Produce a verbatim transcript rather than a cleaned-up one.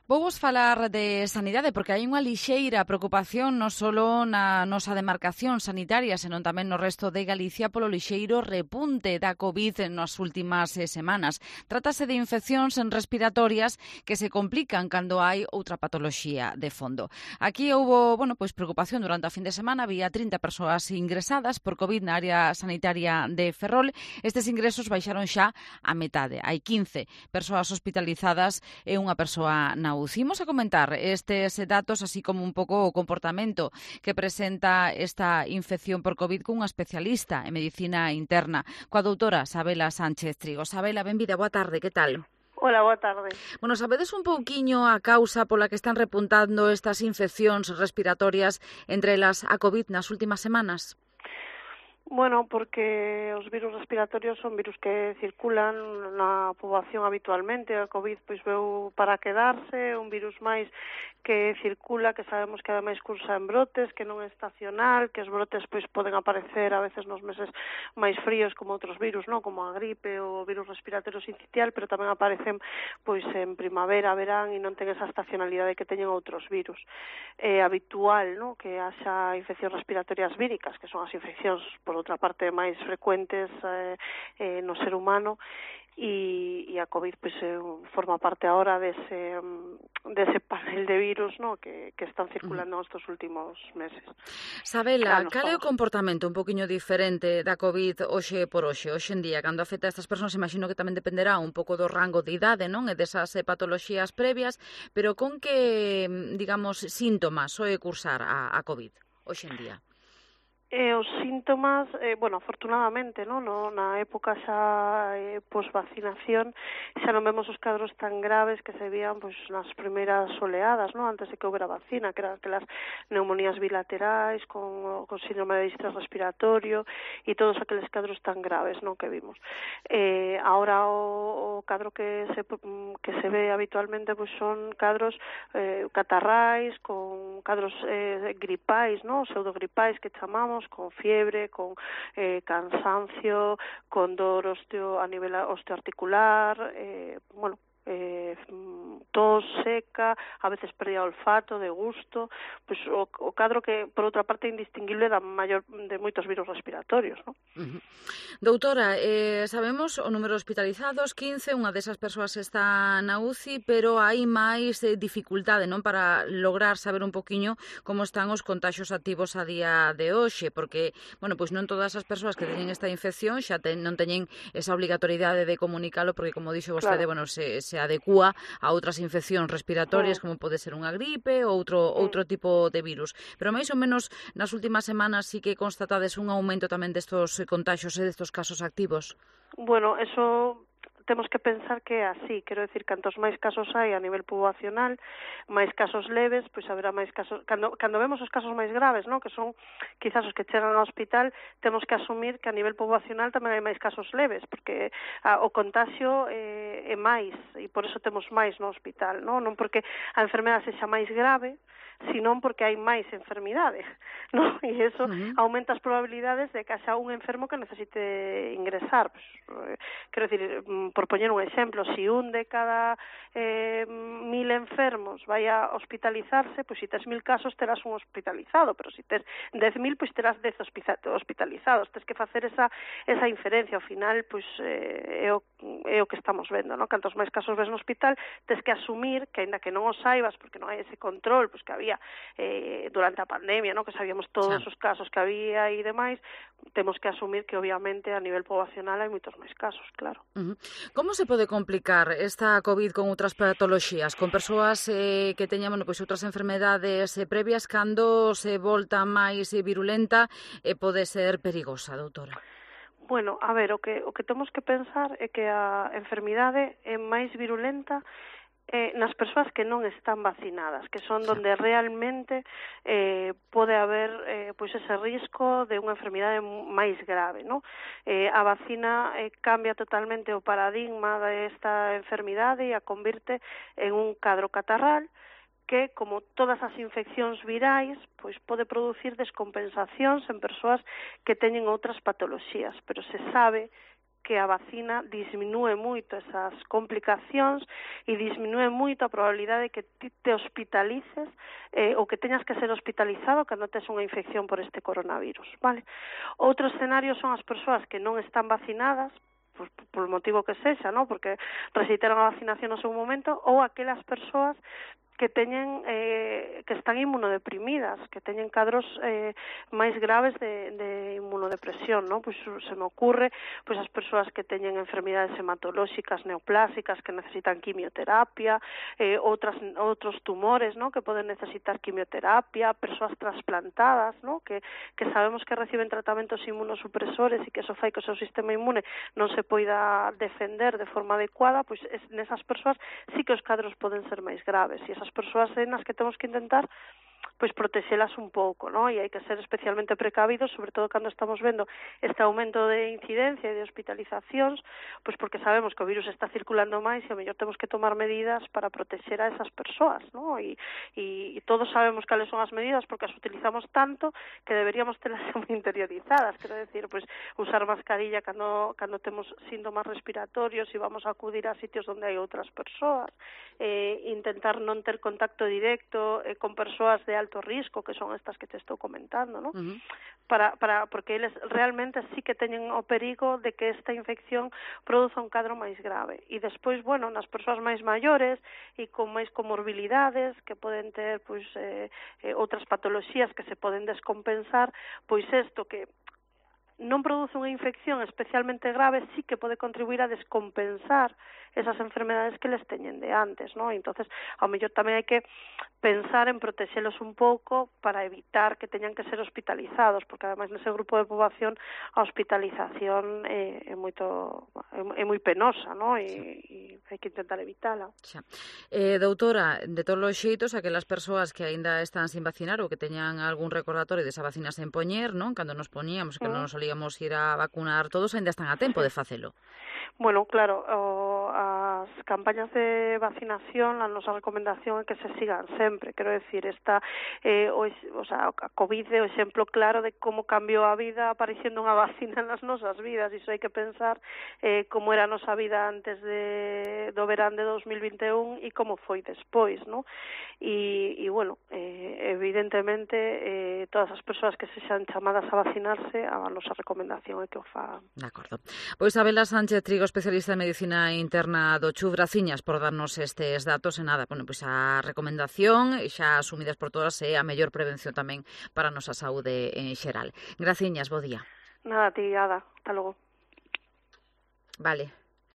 Vouvos falar de sanidade porque hai unha lixeira preocupación non só na nosa demarcación sanitaria, senón tamén no resto de Galicia polo lixeiro repunte da COVID nas últimas eh, semanas. Trátase de infeccións respiratorias que se complican cando hai outra patoloxía de fondo. Aquí houbo, bueno, pois preocupación durante a fin de semana, había trinta persoas ingresadas por COVID na área sanitaria de Ferrol. Estes ingresos baixaron xa a metade. Hai quince persoas hospitalizadas e unha persoa na U C I. Imos a comentar estes datos, así como un pouco o comportamento que presenta esta infección por COVID cunha especialista en medicina interna, coa doutora Sabela Sánchez Trigo. Sabela, benvida, boa tarde, que tal? Hola, boa tarde. Bueno, sabedes un pouquiño a causa pola que están repuntando estas infeccións respiratorias entre elas a COVID nas últimas semanas? Bueno, porque os virus respiratorios son virus que circulan na poboación habitualmente. A COVID pois veu para quedarse, un virus máis que circula, que sabemos que ademais cursa en brotes, que non é estacional, que os brotes pois poden aparecer a veces nos meses máis fríos como outros virus, non, como a gripe ou o virus respiratorio sincitial, pero tamén aparecen pois en primavera, verán e non ten esa estacionalidade que teñen outros virus. É habitual, non, que haxa infeccións respiratorias víricas, que son as infeccións por outra parte máis frecuentes eh, eh, no ser humano, e, e a COVID pois, eh, forma parte agora dese, dese panel de virus, no, que, que están circulando nestes últimos meses. Sabela, cal é o comportamento un poquinho diferente da COVID hoxe por hoxe, hoxe en día, cando afecta a estas persoas? Imagino que tamén dependerá un pouco do rango de idade, non, e desas eh, patoloxías previas, pero con que, digamos, síntomas soe cursar a, a COVID hoxe en día? E os síntomas, eh, bueno, afortunadamente, no, no na época xa eh, posvacinación xa non vemos os cadros tan graves que se vían pois nas primeiras oleadas, no, antes de que houbera vacina, que eran aquelas neumonías bilaterais con, con síndrome de distrés respiratorio e todos aqueles cadros tan graves, no, que vimos. Eh, ahora o, o cadro que se que se ve habitualmente pois son cadros eh, catarrais, con cadros eh, gripais, no, pseudogripais que chamamos, con fiebre, con eh, cansancio, con dor osteo, a nivel osteoarticular, eh, bueno, eh, tos seca, a veces pérdida de olfato, de gusto, pues o, o cadro que, por outra parte, é indistinguible da maior de moitos virus respiratorios, ¿no? Uh-huh. Doutora, eh, sabemos o número de hospitalizados, quince, unha desas persoas está na U C I, pero hai máis eh, dificultade, non, para lograr saber un poquiño como están os contaxios activos a día de hoxe, porque, bueno, pois non todas as persoas que teñen esta infección xa ten, non teñen esa obrigatoriedade de comunicalo, porque, como dixo vostede, claro, bueno, se, se adecúa a outras infeccións respiratorias, como pode ser unha gripe ou outro, outro tipo de virus. Pero máis ou menos nas últimas semanas sí que constatades un aumento tamén destos contaxios e destos casos activos. Bueno, eso temos que pensar que é así, quero decir, cantos máis casos hai a nivel poboacional, máis casos leves, pois haberá máis casos, cando, cando vemos os casos máis graves, non, que son quizás os que chegan ao hospital, temos que asumir que a nivel poboacional tamén hai máis casos leves, porque a, o contagio eh, é máis, e por eso temos máis no hospital, non, non porque a enfermedade sexa máis grave, senón porque hai máis enfermidade, non? E iso uh-huh. aumenta as probabilidades de que haxa un enfermo que necesite ingresar. Pues, eh, quero dicir, por poñer un exemplo, se si un de cada eh, mil enfermos vai a hospitalizarse, pois pues, se si tes mil casos terás un hospitalizado, pero se si tes dez mil, pois pues, terás dez hospitalizados. Tes que facer esa, esa inferencia. Ao final, pois pues, eh, é, o, é o que estamos vendo, non? Cantos máis casos ves no hospital, tes que asumir que, aínda que non o saibas, porque non hai ese control, pois pues, que había Eh, durante a pandemia, ¿no? Que sabíamos todos sí. os casos que había e demais, temos que asumir que obviamente a nivel poboacional hai moitos máis casos, claro. Uh-huh. Como se pode complicar esta COVID con outras patoloxías, con persoas eh, que teñan, bueno, pois outras enfermedades eh, previas, cando se volta máis eh, virulenta e eh, pode ser perigosa, doutora? Bueno, a ver, o que, o que temos que pensar é que a enfermidade é máis virulenta Eh, nas persoas que non están vacinadas, que son donde realmente eh, pode haber eh, pois ese risco de unha enfermidade máis grave, ¿no? Eh, a vacina eh, cambia totalmente o paradigma desta enfermidade e a convirte en un cadro catarral que, como todas as infeccións virais, pois pode producir descompensacións en persoas que teñen outras patoloxías, pero se sabe que a vacina disminúe moito esas complicacións e disminúe moito a probabilidade de que ti te hospitalices eh, ou que teñas que ser hospitalizado cando tes unha infección por este coronavirus, vale? Outro escenario son as persoas que non están vacinadas, pues, por o motivo que sexa, ¿no? Porque rexeitaron a vacinación no seu momento, ou aquelas persoas que teñen eh, que están inmunodeprimidas, que teñen cadros eh, máis graves de, de inmunodepresión, ¿no? Pois se me ocurre pois as persoas que teñen enfermidades hematolóxicas neoplásicas que necesitan quimioterapia, eh, outras outros tumores, ¿no? Que poden necesitar quimioterapia, persoas trasplantadas, ¿no? Que que sabemos que reciben tratamentos inmunosupresores e que eso fai que o seu sistema inmune non se poida defender de forma adecuada, pois es, nesas persoas sí que os cadros poden ser máis graves e esas persoas nas que temos que intentar pois protexelas un pouco, ¿no? E hai que ser especialmente precavidos, sobre todo cando estamos vendo este aumento de incidencia e de hospitalizacións, pois porque sabemos que o virus está circulando máis e ao mellor temos que tomar medidas para protexer a esas persoas, ¿no? E, e, e todos sabemos cales son as medidas porque as utilizamos tanto que deberíamos telas moi interiorizadas, quero decir, pois usar mascarilla cando, cando temos síntomas respiratorios e vamos a acudir a sitios onde hai outras persoas, eh, intentar non ter contacto directo eh, con persoas de alto risco, que son estas que te estou comentando, ¿no? Uh-huh. Para, para, porque eles realmente sí que teñen o perigo de que esta infección produza un cadro máis grave. E despois, bueno, nas persoas máis maiores e con máis comorbilidades, que poden ter, pois, eh, eh, outras patoloxías que se poden descompensar, pois isto que non produce unha infección especialmente grave, sí que pode contribuir a descompensar esas enfermedades que les teñen de antes, ¿no? Entonces, ao mellor tamén hai que pensar en protexelos un pouco para evitar que teñan que ser hospitalizados, porque ademais nese grupo de poboación a hospitalización é, é moito é, é moi penosa, ¿no? E, e hai que intentar evitala. Xa. Eh, doutora, de todos os xeitos, aquelas persoas que aínda están sin vacinar ou que teñan algún recordatorio desa vacina sen poñer, non? Cando nos poñíamos, que mm. non nos solíamos ir a vacunar todos, aínda están a tempo de facelo. Bueno, claro, o, as campañas de vacinación, a nosa recomendación é que se sigan sempre, quero decir, esta eh, o, o sea, a COVID é o exemplo claro de como cambiou a vida aparecendo unha vacina nas nosas vidas, iso hai que pensar eh, como era a nosa vida antes de, do verán de dos mil vinte e un e como foi despois, ¿no? E, e bueno, eh, evidentemente eh, todas as persoas que se xan chamadas a vacinarse, a nosa recomendación é que o fagan. De acordo. Pois Abela Sánchez Trigo, especialista en medicina interna do C H U, graciñas por darnos estes datos e nada, bueno, pois a recomendación xa asumidas por todas é a mellor prevención tamén para a nosa saúde en xeral. Graciñas, bo día. Nada, ti, Ada, hasta logo. Vale.